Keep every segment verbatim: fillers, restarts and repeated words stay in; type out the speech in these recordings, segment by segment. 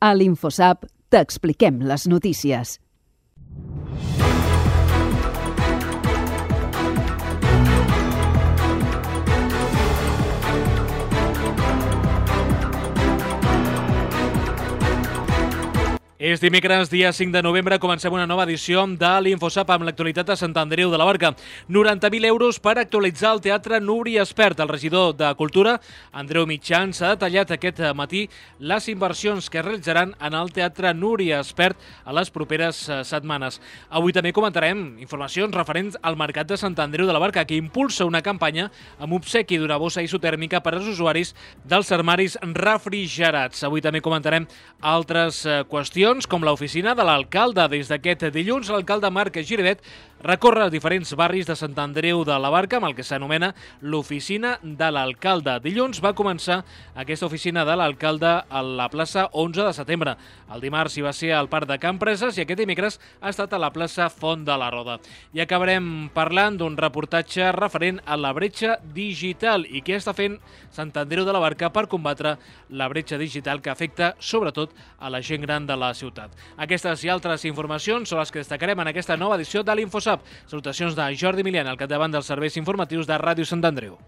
A l'InfoSap t'expliquem les notícies. És dimecres, dia cinc de novembre, comencem una nova edició de l'InfoSap amb l'actualitat de Sant Andreu de la Barca. noranta mil euros per actualitzar el Teatre Núria Espert. El regidor de Cultura, Andreu Mitjans, ha detallat aquest matí les inversions que es realitzaran en el Teatre Núria Espert a les properes setmanes. Avui també comentarem informacions referents al Mercat de Sant Andreu de la Barca, que impulsa una campanya amb obsequi d'una bossa isotèrmica per als usuaris dels armaris refrigerats. Avui també comentarem altres qüestions, com l'oficina de l'alcalde. Des d'aquest dilluns, l'alcalde Marc Giribet recorre diferents barris de Sant Andreu de la Barca amb el que s'anomena l'oficina de l'alcalde. Dilluns va començar aquesta oficina de l'alcalde a la plaça onze de setembre. El dimarts hi va ser al Parc de Can Preses i aquest dimecres ha estat a la plaça Font de la Roda. I acabarem parlant d'un reportatge referent a la bretxa digital i què està fent Sant Andreu de la Barca per combatre la bretxa digital que afecta sobretot a la gent gran de la ciutat. Aquestes i altres informacions són les que destacarem en aquesta nova edició de l'InfoSap. Salutacions de Jordi Milian, al capdavant dels serveis informatius de Ràdio Sant Andreu.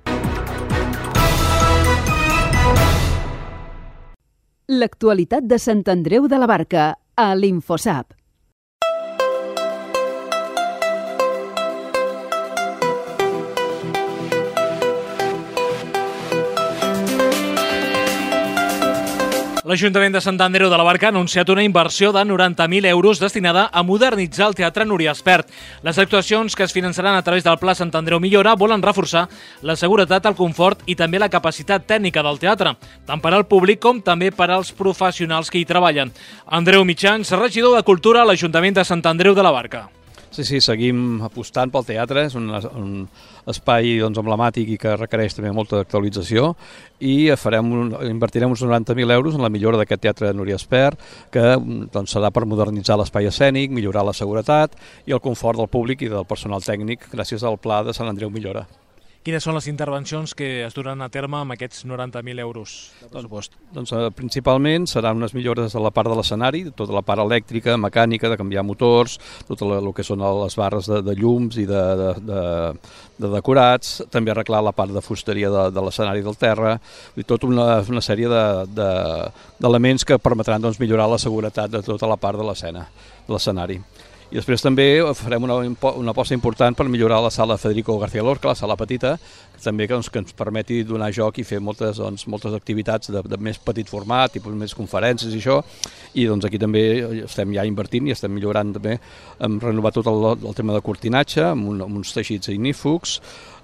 L'actualitat de Sant Andreu de la Barca a l'InfoSap. L'Ajuntament de Sant Andreu de la Barca ha anunciat una inversió de noranta mil euros destinada a modernitzar el Teatre Núria Espert. Les actuacions que es finançaran a través del Pla Sant Andreu Millora volen reforçar la seguretat, el confort i també la capacitat tècnica del teatre, tant per al públic com també per als professionals que hi treballen. Andreu Mitjans, regidor de Cultura a l'Ajuntament de Sant Andreu de la Barca. Sí, sí, seguim apostant pel teatre, és un, un espai doncs, emblemàtic i que requereix també molta actualització i farem un, invertirem uns noranta mil euros en la millora d'aquest teatre Núria Espert, que doncs, serà per modernitzar l'espai escènic, millorar la seguretat i el confort del públic i del personal tècnic gràcies al Pla de Sant Andreu Millora. Quines són les intervencions que es duran a terme amb aquests noranta mil euros de pressupost? Doncs, doncs principalment seran unes millores a la part de l'escenari, tota la part elèctrica, mecànica, de canviar motors, tot el que són les barres de, de llums i de, de, de, de decorats, també arreglar la part de fusteria de, de l'escenari del terra, i tota una, una sèrie d'elements de, de, que permetran doncs, millorar la seguretat de tota la part de l'escena, de l'escenari. I després també farem una, una aposta important per millorar la sala Federico García Lorca, la sala petita, que també doncs, que ens permeti donar joc i fer moltes, doncs, moltes activitats de, de més petit format, tipus més conferències i això, i doncs, aquí també estem ja invertint i estem millorant també, hem renovat tot el, el tema de cortinatge, amb, un, amb uns teixits ignífugs,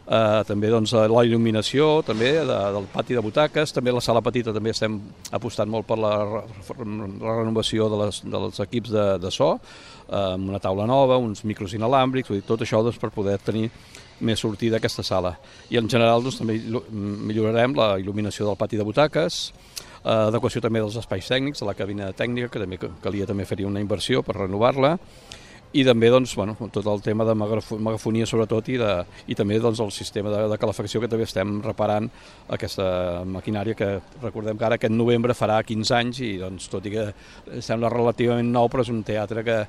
Uh, també doncs, la il·luminació també, de, del pati de butaques, també la sala petita també estem apostant molt per la, la renovació de les, dels equips de, de so, uh, amb una taula nova, uns micros inalàmbrics, vull dir, tot això doncs, per poder tenir més sortida aquesta sala. I en general doncs, també millorarem la il·luminació del pati de butaques, uh, adequació també dels espais tècnics, de la cabina tècnica, que també calia també fer una inversió per renovar-la, i també doncs, bueno, tot el tema de megafonia sobretot i, de, i també doncs, el sistema de, de calefacció que també estem reparant aquesta maquinària que recordem que ara aquest novembre farà quinze anys i doncs, tot i que sembla relativament nou però és un teatre que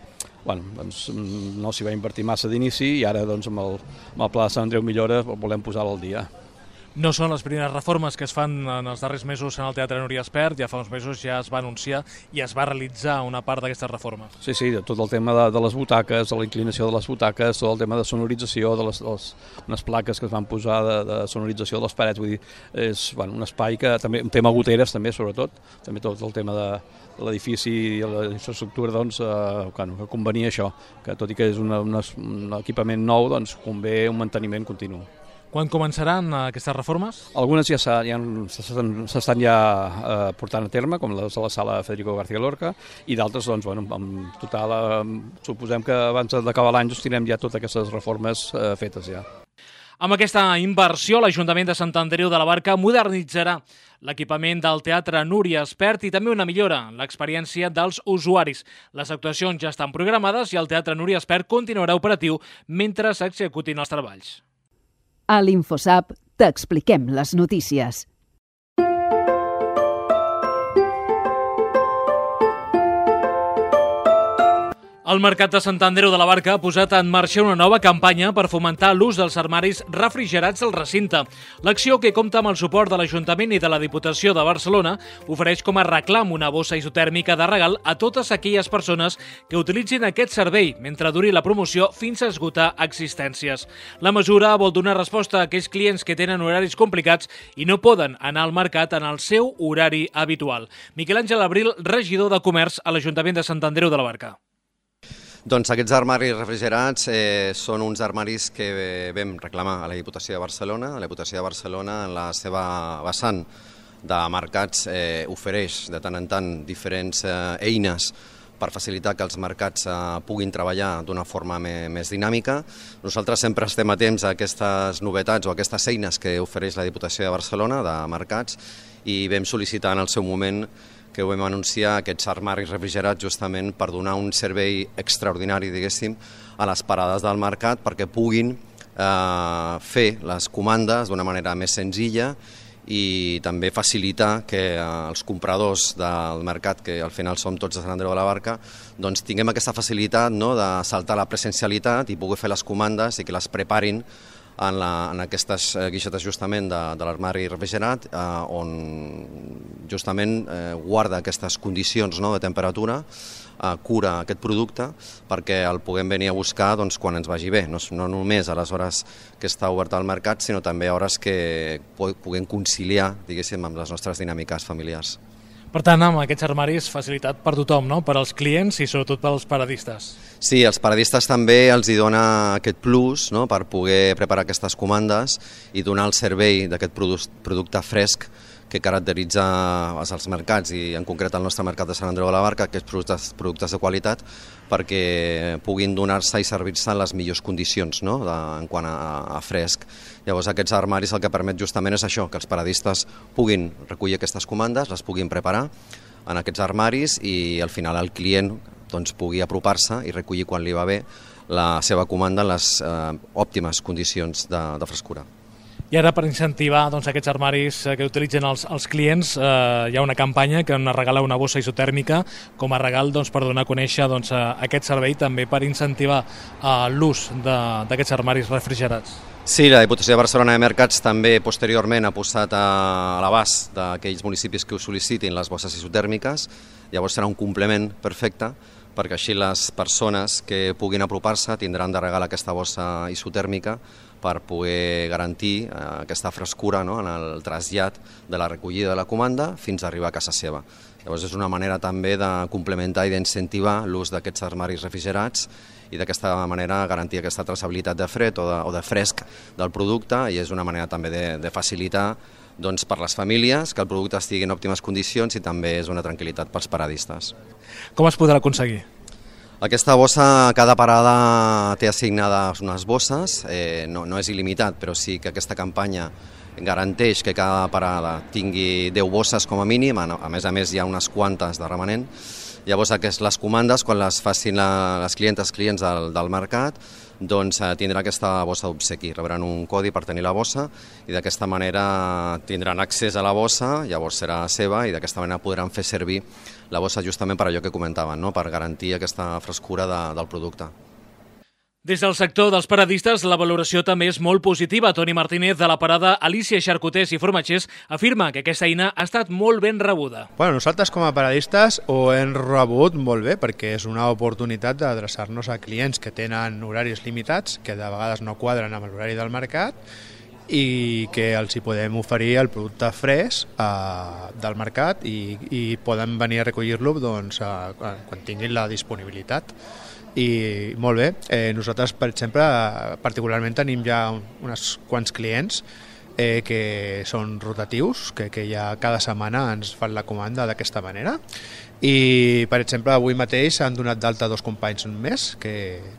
bueno, doncs, no s'hi va invertir massa d'inici i ara doncs, amb, el, amb el Pla de Sant Andreu Millora volem posar-lo al dia. No són les primeres reformes que es fan en els darrers mesos en el Teatre Núria Espert, ja fa uns mesos ja es va anunciar i es va realitzar una part d'aquestes reformes. Sí, sí, tot el tema de, de les butaques, de la inclinació de les butaques, tot el tema de sonorització, de les, de les unes plaques que es van posar de, de sonorització de les parets, vull dir, és bueno, un espai que també, un tema goteres també sobretot, també tot el tema de, de l'edifici i la infraestructura, doncs, eh, bueno, que convenia això, que tot i que és una, una, un equipament nou, doncs convé un manteniment continu. Quan començaran aquestes reformes? Algunes ja s'estan ja eh, portant a terme, com les de la sala Federico García Lorca, i d'altres, doncs, bueno, en total, eh, suposem que abans d'acabar l'any doncs, tindrem ja totes aquestes reformes eh, fetes ja. Amb aquesta inversió, l'Ajuntament de Sant Andreu de la Barca modernitzarà l'equipament del Teatre Núria Espert i també una millora en l'experiència dels usuaris. Les actuacions ja estan programades i el Teatre Núria Espert continuarà operatiu mentre s'executin els treballs. A l'InfoSap t'expliquem les notícies. El Mercat de Sant Andreu de la Barca ha posat en marxa una nova campanya per fomentar l'ús dels armaris refrigerats al recinte. L'acció, que compta amb el suport de l'Ajuntament i de la Diputació de Barcelona, ofereix com a reclam una bossa isotèrmica de regal a totes aquelles persones que utilitzin aquest servei mentre duri la promoció fins a esgotar existències. La mesura vol donar resposta a aquells clients que tenen horaris complicats i no poden anar al mercat en el seu horari habitual. Miquel Àngel Abril, regidor de Comerç a l'Ajuntament de Sant Andreu de la Barca. Doncs aquests armaris refrigerats eh, són uns armaris que vam reclamar a la Diputació de Barcelona. La Diputació de Barcelona, en la seva vessant de mercats, eh, ofereix de tant en tant diferents eh, eines per facilitar que els mercats eh, puguin treballar d'una forma me, més dinàmica. Nosaltres sempre estem atents a aquestes novetats o a aquestes eines que ofereix la Diputació de Barcelona de mercats i vam sol·licitar en el seu moment que ho vam anunciar, aquests armaris refrigerats, justament per donar un servei extraordinari, diguéssim, a les parades del mercat perquè puguin eh, fer les comandes d'una manera més senzilla i també facilitar que eh, els compradors del mercat, que al final som tots de Sant Andreu de la Barca, doncs tinguem aquesta facilitat, no?, de saltar la presencialitat i poder fer les comandes i que les preparin en, la, en aquestes guixetes justament de, de l'armari refrigerat, eh, on justament eh, guarda aquestes condicions, no?, de temperatura, eh, cura aquest producte perquè el puguem venir a buscar doncs, quan ens vagi bé, no, no només a les hores que està obert al mercat, sinó també a hores que puguem conciliar, diguéssim, amb les nostres dinàmiques familiars. Per tant, amb aquests armaris, facilitat per tothom, no?, per als clients i sobretot pels paradistes. Sí, als paradistes també els hi dona aquest plus, no?, per poder preparar aquestes comandes i donar el servei d'aquest producte fresc que caracteritza els mercats i en concret el nostre mercat de Sant Andreu de la Barca, aquests productes, productes de qualitat, perquè puguin donar-se i servir-se en les millors condicions, no?, de, en quant a, a fresc. Llavors aquests armaris el que permet justament és això, que els paradistes puguin recollir aquestes comandes, les puguin preparar en aquests armaris i al final el client doncs, pugui apropar-se i recollir quan li va bé la seva comanda en les eh, òptimes condicions de, de frescura. I ara, per incentivar doncs, aquests armaris que utilitzen els, els clients, eh, hi ha una campanya que ens regala una bossa isotèrmica com a regal doncs, per donar a conèixer doncs, aquest servei, també per incentivar eh, l'ús d'aquests armaris refrigerats. Sí, la Diputació de Barcelona de Mercats també posteriorment ha posat a l'abast d'aquells municipis que ho sol·licitin les bosses isotèrmiques. Llavors serà un complement perfecte perquè així les persones que puguin apropar-se tindran de regal aquesta bossa isotèrmica per poder garantir eh, aquesta frescura, no?, en el trasllat de la recollida de la comanda fins a arribar a casa seva. Llavors és una manera també de complementar i d'incentivar l'ús d'aquests armaris refrigerats i d'aquesta manera garantir aquesta traçabilitat de fred o de, o de fresc del producte i és una manera també de, de facilitar doncs, per les famílies que el producte estigui en òptimes condicions i també és una tranquil·litat pels paradistes. Com es podrà aconseguir? Aquesta bossa, cada parada té assignades unes bosses, eh, no, no és il·limitat, però sí que aquesta campanya garanteix que cada parada tingui deu bosses com a mínim, a més a més hi ha unes quantes de remanent. Llavors les comandes, quan les facin la, les clientes clients del, del mercat, doncs tindrà aquesta bossa d'obsequi, rebran un codi per tenir la bossa i d'aquesta manera tindran accés a la bossa, llavors serà seva i d'aquesta manera podran fer servir la bossa justament per allò que comentaven, no?, per garantir aquesta frescura de, del producte. Des del sector dels paradistes, la valoració també és molt positiva. Toni Martínez, de la parada Alicia Xarcuters i Formatgers, afirma que aquesta eina ha estat molt ben rebuda. Bueno, nosaltres com a paradistes ho hem rebut molt bé perquè és una oportunitat d'adreçar-nos a clients que tenen horaris limitats, que de vegades no quadren amb l'horari del mercat i que els hi podem oferir el producte fresc eh, del mercat i, i poden venir a recollir-lo doncs, eh, quan tinguin la disponibilitat. I molt bé, eh, nosaltres per exemple particularment tenim ja uns quants clients eh, que són rotatius, que, que ja cada setmana ens fan la comanda d'aquesta manera i per exemple avui mateix han donat d'alta dos companys més que,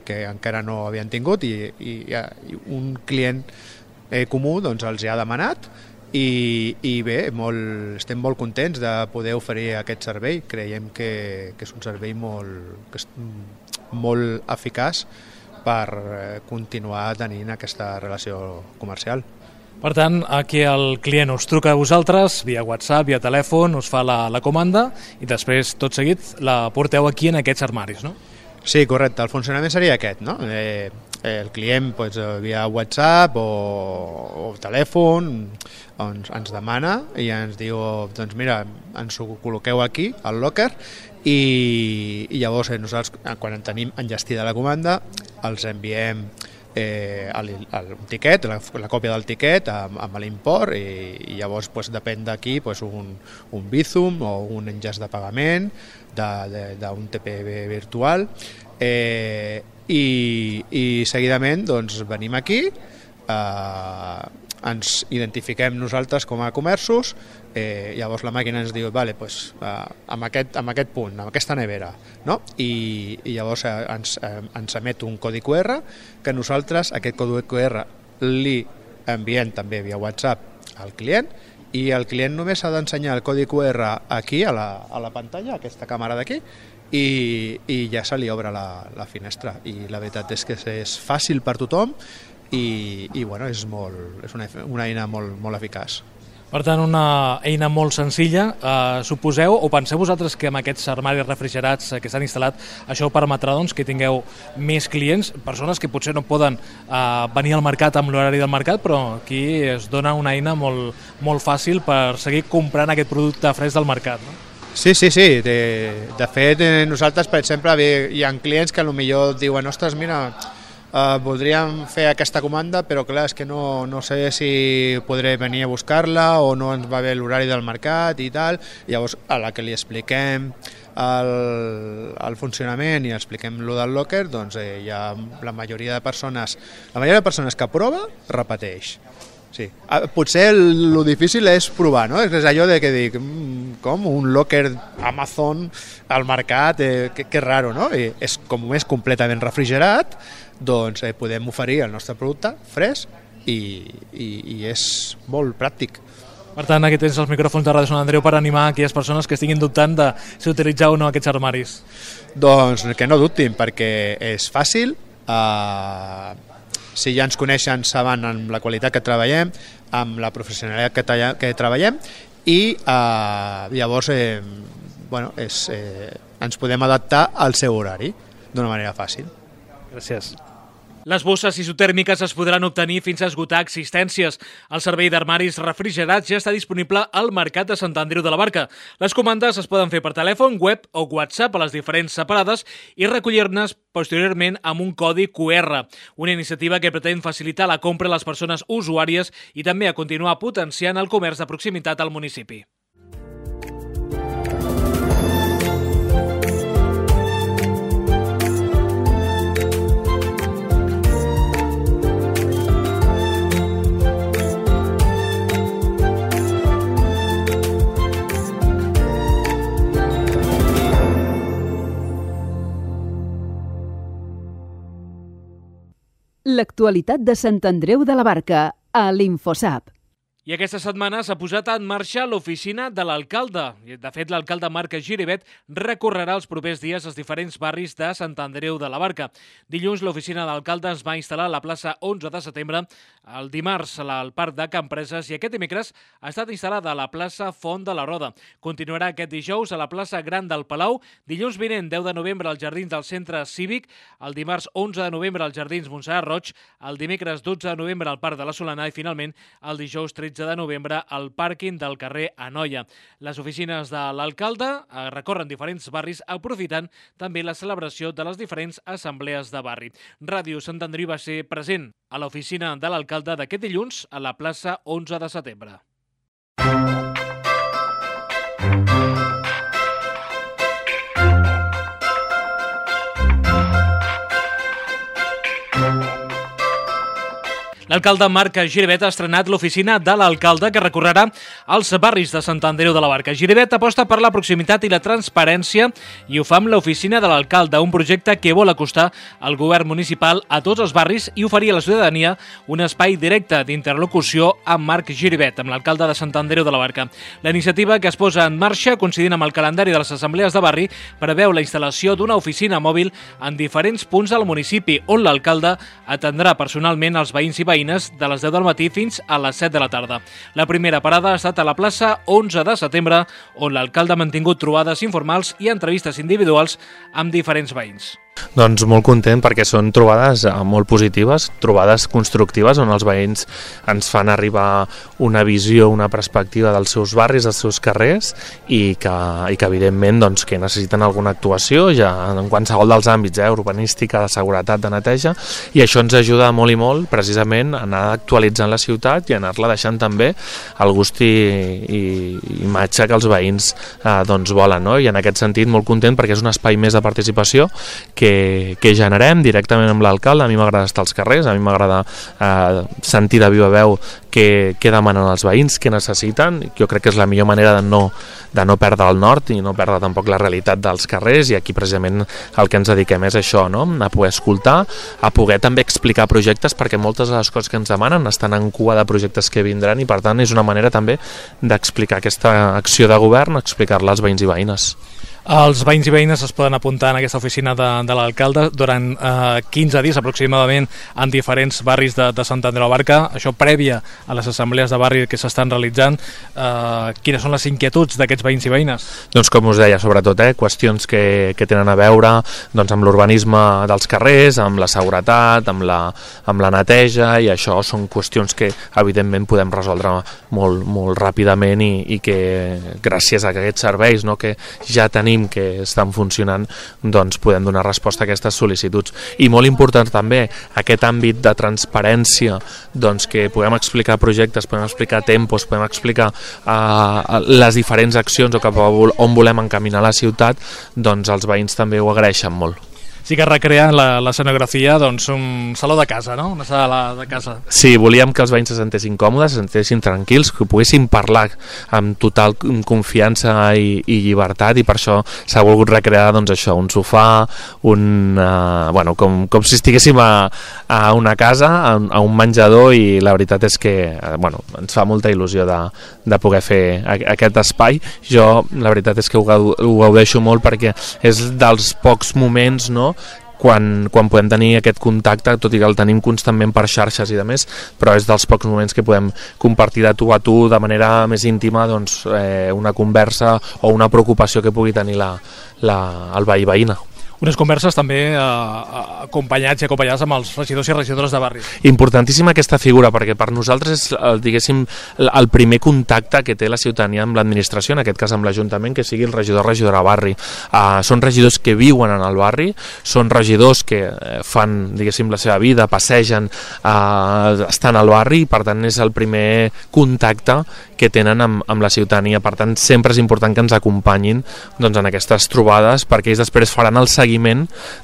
que encara no havien tingut i, i, i un client eh, comú doncs, els hi ha demanat i, i bé, molt, estem molt contents de poder oferir aquest servei. Creiem que, que és un servei molt, que és molt eficaç per continuar tenint aquesta relació comercial. Per tant, aquí el client us truca a vosaltres via WhatsApp, via telèfon, us fa la, la comanda i després, tot seguit, la porteu aquí en aquests armaris, no? Sí, correcte. El funcionament seria aquest, no? Eh, el client doncs, via WhatsApp o, o telèfon ens, ens demana i ens diu, doncs mira, ens ho col·loqueu aquí, al locker, i, i llavors eh, nosaltres, quan en tenim enllestida la comanda, els enviem eh, el, el, un tiquet, la, la còpia del tiquet amb, amb l'import i, i llavors pues, depèn d'aquí pues, un, un Bizum o un enllaç de pagament d'un T P V virtual eh, i, i seguidament doncs, venim aquí, eh, ens identifiquem nosaltres com a comerços, eh, llavors la màquina ens diu vale, pues, eh, amb, aquest, amb aquest punt, amb aquesta nevera, no? I, i llavors eh, ens, eh, ens emet un codi Q R que nosaltres aquest codi Q R li enviem també via WhatsApp al client i el client només ha d'ensenyar el codi Q R aquí a la, a la pantalla, aquesta càmera d'aquí, i, i ja se li obre la, la finestra. I la veritat és que és fàcil per tothom i, i bueno, és, molt, és una, una eina molt, molt eficaç. Per tant, una eina molt senzilla. Eh, suposeu o penseu vosaltres que amb aquests armaris refrigerats que s'han instal·lat això permetrà doncs, que tingueu més clients, persones que potser no poden eh, venir al mercat amb l'horari del mercat, però aquí es dona una eina molt, molt fàcil per seguir comprant aquest producte fresc del mercat, no? Sí, sí, sí. De, de fet, nosaltres, per exemple, hi ha clients que potser diuen ostres, mira, Uh, voldríem fer aquesta comanda, però clar, és que no, no sé si podré venir a buscar-la o no ens va bé l'horari del mercat i tal. Llavors, a la que li expliquem el, el funcionament i expliquem lo del locker, doncs eh, hi ha la majoria de persones, la majoria de persones que prova, repeteix. Sí. Potser el, lo difícil és provar, no? És allò de que dic, com un locker Amazon al mercat, eh, que, que raro, no? I és com és completament refrigerat, doncs eh, podem oferir el nostre producte fresc i, i, i és molt pràctic. Per tant, aquí tens els micròfons de Ràdio Sant Andreu per animar aquelles persones que estiguin dubtant de si utilitzar o no aquests armaris. Doncs que no dubtin, perquè és fàcil, eh, si ja ens coneixen saben amb la qualitat que treballem, amb la professionalitat que, talla, que treballem i eh, llavors eh, bueno, és, eh, ens podem adaptar al seu horari d'una manera fàcil. Gràcies. Les bosses isotèrmiques es podran obtenir fins a esgotar existències. El servei d'armaris refrigerats ja està disponible al Mercat de Sant Andreu de la Barca. Les comandes es poden fer per telèfon, web o WhatsApp a les diferents separades i recollir-ne posteriorment amb un codi Q R. Una iniciativa que pretén facilitar la compra a les persones usuàries i també a continuar potenciant el comerç de proximitat al municipi. L'actualitat de Sant Andreu de la Barca, a l'Infosap. I aquesta setmana s'ha posat en marxa l'oficina de l'alcalde. De fet, l'alcalde Marc Giribet recorrerà els propers dies als diferents barris de Sant Andreu de la Barca. Dilluns, l'oficina de l'alcalde es va instal·lar a la plaça onze de setembre, el dimarts al Parc de Can Preses i aquest dimecres ha estat instal·lada a la plaça Font de la Roda. Continuarà aquest dijous a la plaça Gran del Palau, dilluns vinent, deu de novembre, als jardins del Centre Cívic, el dimarts onze de novembre als jardins Montserrat Roig, el dimecres dotze de novembre al Parc de la Solana i finalment el dijous tretze de novembre al pàrquing del carrer Anoia. Les oficines de l'alcalde recorren diferents barris aprofitant també la celebració de les diferents assemblees de barri. Ràdio Sant Andreu va ser present a l'oficina de l'alcalde d'aquest dilluns a la plaça onze de setembre. L'alcalde Marc Giribet ha estrenat l'oficina de l'alcalde que recorrerà als barris de Sant Andreu de la Barca. Giribet aposta per la proximitat i la transparència i ho fa amb l'oficina de l'alcalde, un projecte que vol acostar el govern municipal a tots els barris i oferir a la ciutadania un espai directe d'interlocució amb Marc Giribet, amb l'alcalde de Sant Andreu de la Barca. La iniciativa, que es posa en marxa coincidint amb el calendari de les assemblees de barri, preveu la instal·lació d'una oficina mòbil en diferents punts del municipi, on l'alcalde atendrà personalment els veïns i veïns de les deu del matí fins a les set de la tarda. La primera parada ha estat a la plaça onze de setembre, on l'alcalde ha mantingut trobades informals i entrevistes individuals amb diferents veïns. Doncs molt content perquè són trobades molt positives, trobades constructives on els veïns ens fan arribar una visió, una perspectiva dels seus barris, dels seus carrers i que, i que evidentment doncs, que necessiten alguna actuació ja en qualsevol dels àmbits, eh, urbanística, de seguretat, de neteja, i això ens ajuda molt i molt precisament a anar actualitzant la ciutat i a anar-la deixant també el gust i, i imatge que els veïns eh, doncs volen, no? I en aquest sentit molt content perquè és un espai més de participació que que generem directament amb l'alcalde. A mi m'agrada estar als carrers, a mi m'agrada eh, sentir de viva veu què, què demanen els veïns, què necessiten. Jo crec que és la millor manera de no, de no perdre el nord i no perdre tampoc la realitat dels carrers, i aquí precisament el que ens dediquem és això, no? A poder escoltar, a poder també explicar projectes, perquè moltes de les coses que ens demanen estan en cua de projectes que vindran i per tant és una manera també d'explicar aquesta acció de govern, explicar-la als veïns i veïnes. Els veïns i veïnes es poden apuntar en aquesta oficina de, de l'alcalde durant eh, quinze dies aproximadament en diferents barris de, de Sant Andreu de la Barca, això prèvia a les assemblees de barri que s'estan realitzant. Eh, quines són les inquietuds d'aquests veïns i veïnes? Doncs com us deia, sobretot eh, qüestions que, que tenen a veure doncs, amb l'urbanisme dels carrers, amb la seguretat, amb la, amb la neteja, i això són qüestions que evidentment podem resoldre molt, molt ràpidament i, i que gràcies a aquests serveis, no, que ja tenim que estan funcionant, doncs podem donar resposta a aquestes sol·licituds. I molt important també aquest àmbit de transparència, doncs que podem explicar projectes, podem explicar tempos, podem explicar uh, les diferents accions o cap a on volem encaminar la ciutat, doncs els veïns també ho agraeixen molt. Sí que recrea l'escenografia doncs, un saló de casa, no? Una sala de casa. Sí, volíem que els veïns se sentessin còmodes, se sentessin tranquils, que poguessin parlar amb total confiança i, i llibertat, i per això s'ha volgut recrear doncs, això, un sofà, un, uh, bueno, com, com si estiguéssim a, a una casa, a, a un menjador, i la veritat és que uh, bueno, ens fa molta il·lusió de, de poder fer aquest espai. Jo la veritat és que ho, ho gaudeixo molt perquè és dels pocs moments, no?, Quan, quan podem tenir aquest contacte, tot i que el tenim constantment per xarxes i de més, però és dels pocs moments que podem compartir de tu a tu de manera més íntima doncs, eh, una conversa o una preocupació que pugui tenir la, la, el veí veïna. Unes converses també eh, acompanyats i acompanyades amb els regidors i regidores de barri. Importantíssima aquesta figura, perquè per nosaltres és el, diguéssim, el primer contacte que té la ciutadania amb l'administració, en aquest cas amb l'Ajuntament, que sigui el regidor o regidora de barri. Uh, són regidors que viuen en el barri, són regidors que fan, diguéssim, la seva vida, passegen, uh, estan al barri, i per tant és el primer contacte que tenen amb, amb la ciutadania. Per tant, sempre és important que ens acompanyin doncs, en aquestes trobades, perquè ells després faran el seguiment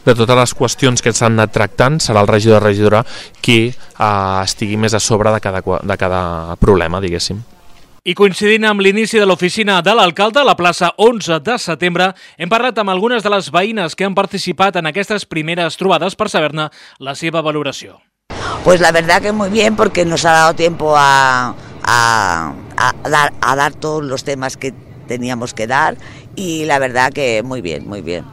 de totes les qüestions que s'han anat tractant. Serà el regidor o regidora qui eh, estigui més a sobre de cada, de cada problema, diguéssim. I coincidint amb l'inici de l'oficina de l'alcalde a la plaça onze de setembre, hem parlat amb algunes de les veïnes que han participat en aquestes primeres trobades per saber-ne la seva valoració. Pues la verdad que muy bien, porque nos ha dado tiempo a, a, a, dar, a dar todos los temas que teníamos que dar, y la verdad que muy bien, muy bien.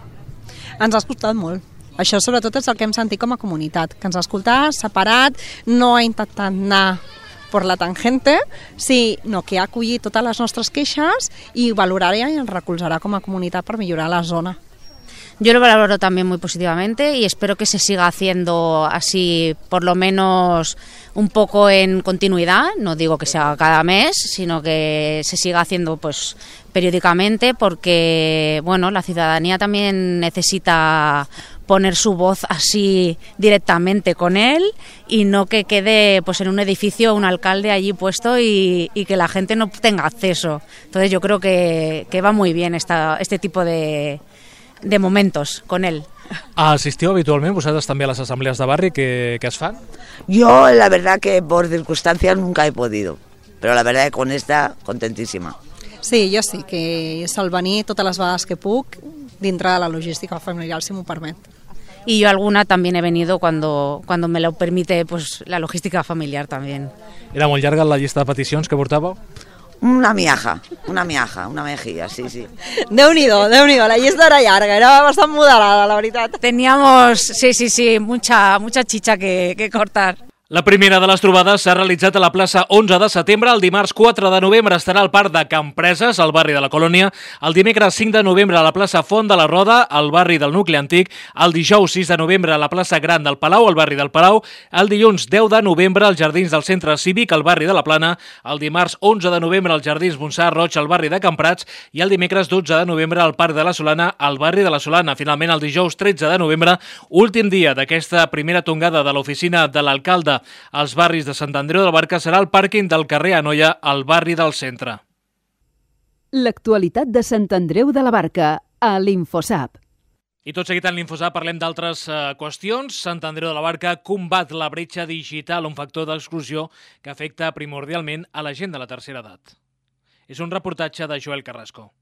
Ens ha escoltat molt. Això sobretot és el que hem sentit com a comunitat, que ens ha escoltat, separat, no ha intentat anar per la tangente, sinó que ha acollit totes les nostres queixes i valorarà i ens recolzarà com a comunitat per millorar la zona. Yo lo valoro también muy positivamente y espero que se siga haciendo así, por lo menos un poco en continuidad. No digo que sea cada mes, sino que se siga haciendo pues periódicamente, porque bueno, la ciudadanía también necesita poner su voz así directamente con él, y no que quede pues en un edificio un alcalde allí puesto y, y que la gente no tenga acceso. Entonces yo creo que, que va muy bien esta, este tipo de de momentos con él. Assistiu habitualment vosaltres també a les assemblees de barri que, que es fan? Yo la verdad que por circunstancias nunca he podido, pero la verdad que con esta contentísima. Sí, jo sí, que és el venir totes les vegades que puc dintre de la logística familiar, si m'ho permet. Y yo alguna también he venido cuando, cuando me lo permite pues la logística familiar también. Era molt llarga la llista de peticions que portàveu? Una miaja, una miaja, una mejilla, sí, sí. Déu-n'hi-do, Déu-n'hi-do, la llista era llarga, era bastant moderada, la veritat. Teníamos, sí, sí, sí, mucha, mucha chicha que, que cortar. La primera de les trobades s'ha realitzat a la plaça onze de setembre. El dimarts quatre de novembre estarà al Parc de Campreses, al barri de la Colònia. El dimecres cinc de novembre a la plaça Font de la Roda, al barri del Nucli Antic. El dijous sis de novembre a la plaça Gran del Palau, al barri del Palau. El dilluns deu de novembre als jardins del Centre Cívic, al barri de la Plana. El dimarts onze de novembre als jardins Montserrat Roig, al barri de Camprats. I el dimecres dotze de novembre al Parc de la Solana, al barri de la Solana. Finalment, el dijous tretze de novembre, últim dia d'aquesta primera tongada de l'oficina de l'alcalde als barris de Sant Andreu de la Barca, serà el pàrquing del carrer Anoia, al barri del centre. L'actualitat de Sant Andreu de la Barca, a l'Infosap. I tot seguit en l'Infosap parlem d'altres eh, qüestions. Sant Andreu de la Barca combat la bretxa digital, un factor d'exclusió que afecta primordialment a la gent de la tercera edat. És un reportatge de Joel Carrasco.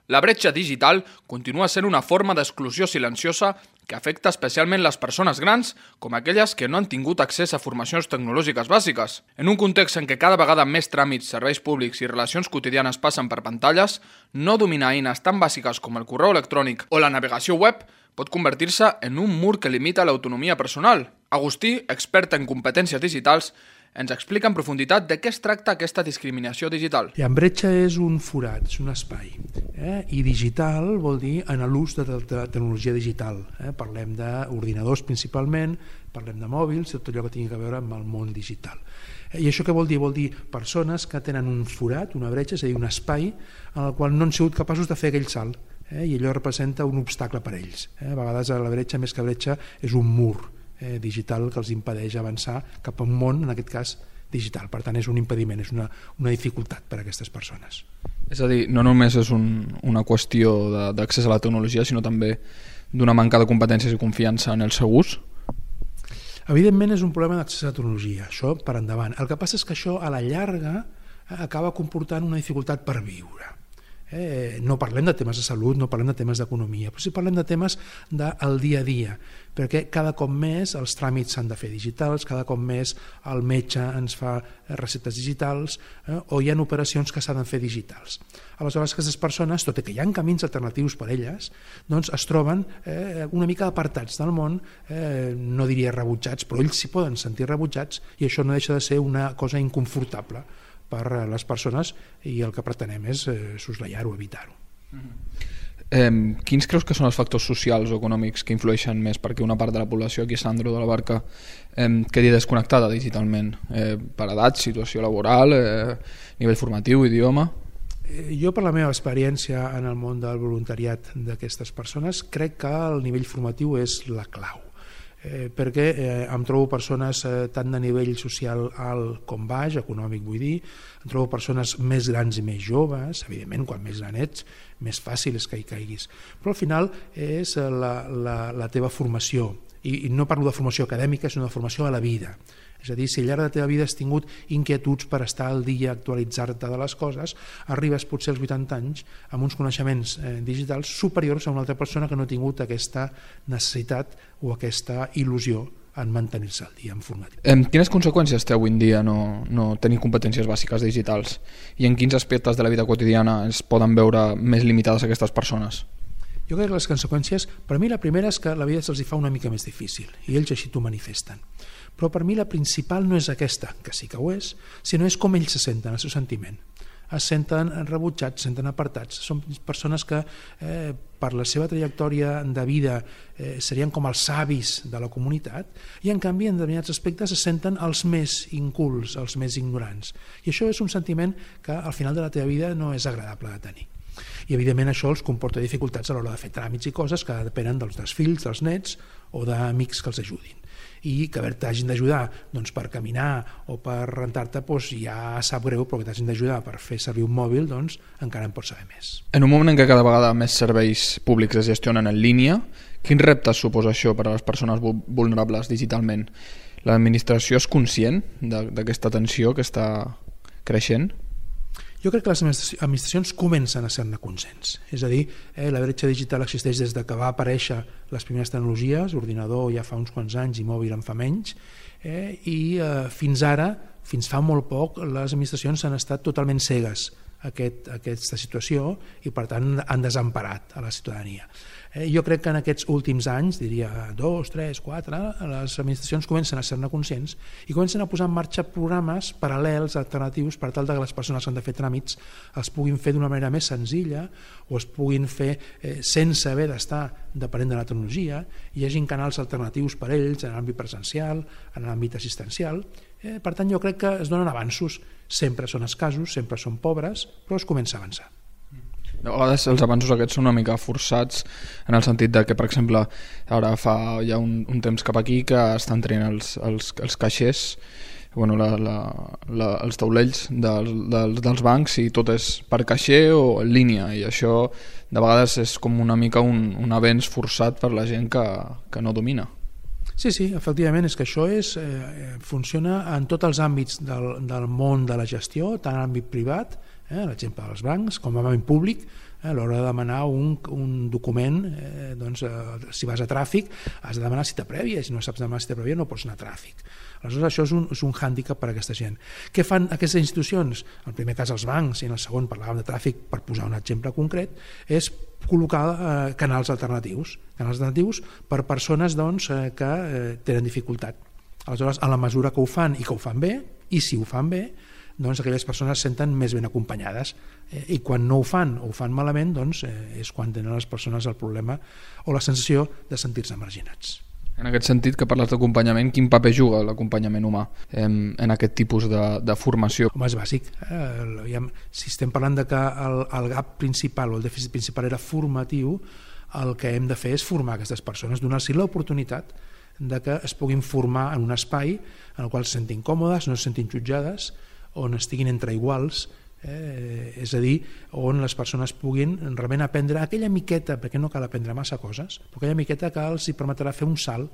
La bretxa digital continua sent una forma d'exclusió silenciosa que afecta especialment les persones grans, com aquelles que no han tingut accés a formacions tecnològiques bàsiques. En un context en què cada vegada més tràmits, serveis públics i relacions quotidianes passen per pantalles, no dominar eines tan bàsiques com el correu electrònic o la navegació web pot convertir-se en un mur que limita l'autonomia personal. Agustí, expert en competències digitals, ens explica en profunditat de què es tracta aquesta discriminació digital. La bretxa és un forat, és un espai, eh? I digital vol dir en l'ús de la tecnologia digital. Eh? Parlem d'ordinadors principalment, parlem de mòbils, tot allò que tingui a veure amb el món digital. Eh? I això què vol dir? Vol dir persones que tenen un forat, una bretxa, és a dir, un espai en el qual no han sigut capaços de fer aquell salt, eh? I allò representa un obstacle per a ells. Eh? A vegades la bretxa, més que bretxa, és un mur Eh, digital que els impedeix avançar cap a un món, en aquest cas, digital. Per tant, és un impediment, és una, una dificultat per a aquestes persones. És a dir, no només és un, una qüestió d'accés a la tecnologia, sinó també d'una manca de competències i confiança en el seu ús? Evidentment és un problema d'accés a la tecnologia, això per endavant. El que passa és que això a la llarga acaba comportant una dificultat per viure. Eh, no parlem de temes de salut, no parlem de temes d'economia, però sí parlem de temes del dia a dia, perquè cada cop més els tràmits s'han de fer digitals, cada cop més el metge ens fa receptes digitals, eh, o hi ha operacions que s'han de fer digitals. Aleshores, aquestes persones, tot i que hi ha camins alternatius per elles, doncs es troben eh, una mica apartats del món, eh, no diria rebutjats, però ells s'hi poden sentir rebutjats i això no deixa de ser una cosa inconfortable per a les persones i el que pretenem és eh, soslaiar-ho, evitar-ho. Eh, quins creus que són els factors socials o econòmics que influeixen més perquè una part de la població aquí a Sant Andreu de la Barca eh, quedi desconnectada digitalment? Eh, per edat, situació laboral, eh, nivell formatiu, idioma? Eh, jo, per la meva experiència en el món del voluntariat d'aquestes persones, crec que el nivell formatiu és la clau. Eh, perquè eh, em trobo persones eh, tant de nivell social alt com baix, econòmic vull dir, em trobo persones més grans i més joves, evidentment quan més gran ets més fàcil és que hi caiguis, però al final és la, la, la teva formació, i, i no parlo de formació acadèmica, sinó de formació a la vida. És a dir, si al llarg de la teva vida has tingut inquietuds per estar al dia, actualitzar-te de les coses, arribes potser als vuitanta anys amb uns coneixements eh, digitals superiors a una altra persona que no ha tingut aquesta necessitat o aquesta il·lusió en mantenir-se al dia en formatiu. Eh, quines conseqüències té avui en dia no, no tenir competències bàsiques digitals? I en quins aspectes de la vida quotidiana es poden veure més limitades aquestes persones? Jo crec que les conseqüències, per mi la primera és que la vida se'ls fa una mica més difícil i ells així t'ho manifesten. Però per mi la principal no és aquesta, que sí que ho és, sinó és com ells se senten, el seu sentiment. Es senten rebutjats, se senten apartats. Són persones que eh, per la seva trajectòria de vida eh, serien com els savis de la comunitat i en canvi en determinats aspectes se senten els més incults, els més ignorants. I això és un sentiment que al final de la teva vida no és agradable de tenir. I evidentment això els comporta dificultats a l'hora de fer tràmits i coses que depenen dels, dels fills, dels nets o d'amics que els ajudin. I que t'hagin d'ajudar doncs, per caminar o per rentar-te doncs, ja sap greu, però que t'hagin d'ajudar per fer servir un mòbil doncs, encara en pots saber més. En un moment en què cada vegada més serveis públics es gestionen en línia, quins reptes suposa això per a les persones vulnerables digitalment? L'administració és conscient d'aquesta tensió que està creixent? Jo crec que les administracions comencen a ser-ne conscients. És a dir, eh, la bretxa digital existeix des de que va aparèixer les primeres tecnologies, ordinador ja fa uns quants anys i mòbil en fa menys, eh, i eh, fins ara, fins fa molt poc, les administracions han estat totalment cegues a aquest, a aquesta situació i per tant han desemparat a la ciutadania. Eh, jo crec que en aquests últims anys, diria dos, tres, quatre, les administracions comencen a ser-ne conscients i comencen a posar en marxa programes paral·lels, alternatius, per tal que les persones que han de fer tràmits els puguin fer d'una manera més senzilla o es puguin fer eh, sense haver d'estar depenent de la tecnologia, hi hagin canals alternatius per a ells en l'àmbit presencial, en l'àmbit assistencial. Eh, per tant, jo crec que es donen avanços, sempre són escassos, sempre són pobres, però es comença a avançar. De vegades els avanços aquests són una mica forçats en el sentit de que, per exemple, ara fa ja un, un temps cap aquí que estan traient els, els, els caixers, bueno, la, la, la, els taulells dels, dels, dels bancs, i tot és per caixer o en línia, i això de vegades és com una mica un, un avenç forçat per la gent que, que no domina. Sí, sí, efectivament, és que això és, eh, funciona en tots els àmbits del, del món de la gestió, tant en l'àmbit privat, eh, l'exemple dels bancs, com a àmbit públic, eh, a l'hora de demanar un, un document, eh, doncs, eh, si vas a tràfic has de demanar cita prèvia, i si no saps demanar cita prèvia no pots anar a tràfic. Aleshores això és un, és un hàndicap per a aquesta gent. Què fan aquestes institucions? En el primer cas els bancs, i en el segon parlàvem de tràfic, per posar un exemple concret, és col·locar eh, canals alternatius, canals alternatius per persones doncs, eh, que eh, tenen dificultat. Aleshores, a la mesura que ho fan i que ho fan bé, i si ho fan bé, doncs aquelles persones es senten més ben acompanyades, eh, i quan no ho fan o ho fan malament, doncs eh, és quan tenen les persones el problema o la sensació de sentir-se marginats. En aquest sentit, que parles d'acompanyament, quin paper juga l'acompanyament humà en, en aquest tipus de, de formació? Home, és bàsic. Eh? Si estem parlant de que el, el gap principal o el dèficit principal era formatiu, el que hem de fer és formar aquestes persones, donar-los l'oportunitat de que es puguin formar en un espai en el qual se sentin còmodes, no se sentin jutjades, on estiguin entre iguals, eh, és a dir, on les persones puguin realment aprendre aquella miqueta, perquè no cal aprendre massa coses, però aquella miqueta que els hi permetrà fer un salt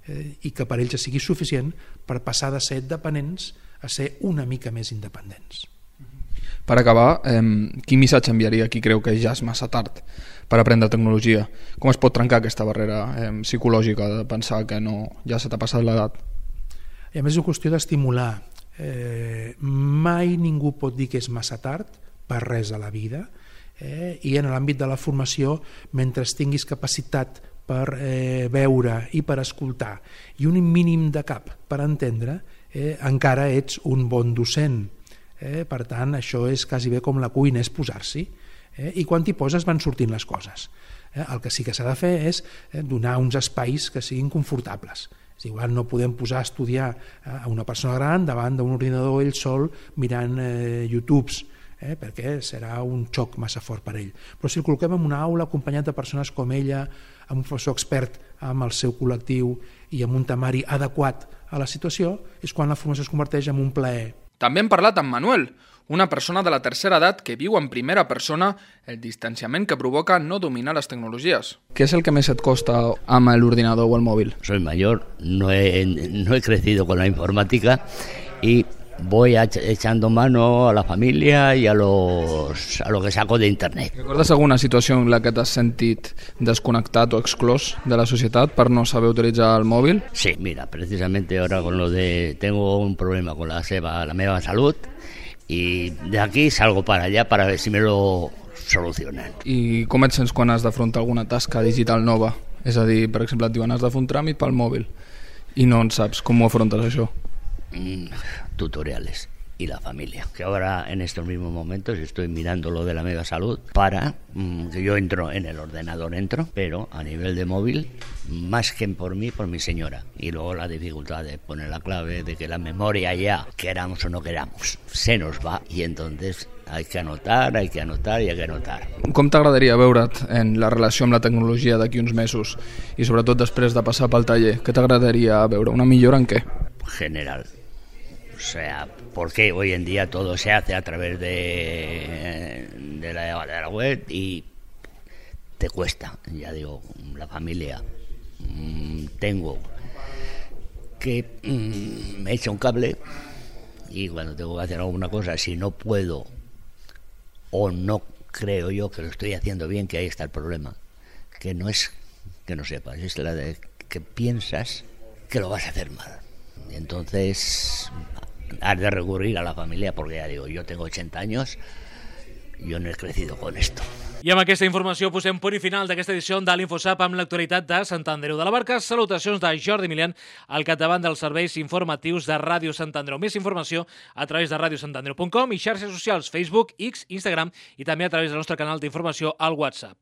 eh, i que per ells sigui suficient per passar de ser dependents a ser una mica més independents. Per acabar, eh, quin missatge enviaria qui creu que ja és massa tard per aprendre tecnologia? Com es pot trencar aquesta barrera eh, psicològica de pensar que no, ja se t'ha passat l'edat? I a més és una qüestió d'estimular. Eh, mai ningú pot dir que és massa tard per res a la vida, eh, i en l'àmbit de la formació, mentre tinguis capacitat per eh, veure i per escoltar i un mínim de cap per entendre, eh, encara ets un bon docent. Eh, per tant, això és quasi bé com la cuina, és posar-s'hi, eh, i quan t'hi poses van sortint les coses. Eh, el que sí que s'ha de fer és eh, donar uns espais que siguin confortables. Igual no podem posar a estudiar a una persona gran davant d'un ordinador ell sol mirant eh, YouTubes, eh, perquè serà un xoc massa fort per ell. Però si el col·loquem en una aula acompanyat de persones com ella, amb un professor expert amb el seu col·lectiu i amb un temari adequat a la situació, és quan la formació es converteix en un plaer. També hem parlat amb Manuel, una persona de la tercera edat que viu en primera persona el distanciament que provoca no dominar les tecnologies. Què és el que més et costa amb l'ordinador o el mòbil? Soy mayor, no he, no he crecido con la informática y voy echando mano a la familia y a, los, a lo que saco de internet. Recordes alguna situació en la que t'has sentit desconnectat o exclòs de la societat per no saber utilitzar el mòbil? Sí, mira, precisamente ahora con lo de tengo un problema con la seva, la meva salud, y de aquí salgo para allá para ver si me lo solucionen. I com et sents quan has d'afrontar alguna tasca digital nova? És a dir, per exemple, et diuen has de fer un tràmit pel mòbil i no en saps com ho afrontes això? Mm, tutoriales y la familia, que ahora en estos mismos momentos estoy mirando lo de la mega salud para mmm, que yo entro en el ordenador, entro, pero a nivel de móvil, más que por mí, por mi señora. Y luego la dificultad de poner la clave, de que la memoria ya, queramos o no queramos, se nos va, y entonces hay que anotar, hay que anotar y hay que anotar. Com t'agradaria veure't en la relació amb la tecnologia d'aquí uns mesos i sobretot després de passar pel taller? Què t'agradaria veure? Una millora en què? General. O sea, porque hoy en día todo se hace a través de, de, la, de la web y te cuesta, ya digo, la familia. Mmm, tengo que mmm, me echa un cable y cuando tengo que hacer alguna cosa, si no puedo o no creo yo que lo estoy haciendo bien, que ahí está el problema, que no es que no sepas, es la de que piensas que lo vas a hacer mal. Y entonces has de recurrir a la familia porque ya digo, yo tengo ochenta años, yo no he crecido con esto. I amb aquesta informació posem punt i final d'aquesta edició de l'InfoSap amb l'actualitat de Sant Andreu de la Barca. Salutacions de Jordi Milian al capdavant dels serveis informatius de Ràdio Sant Andreu. Més informació a través de radio sant andreu punt com i xarxes socials Facebook, X, Instagram i també a través del nostre canal d'informació al WhatsApp.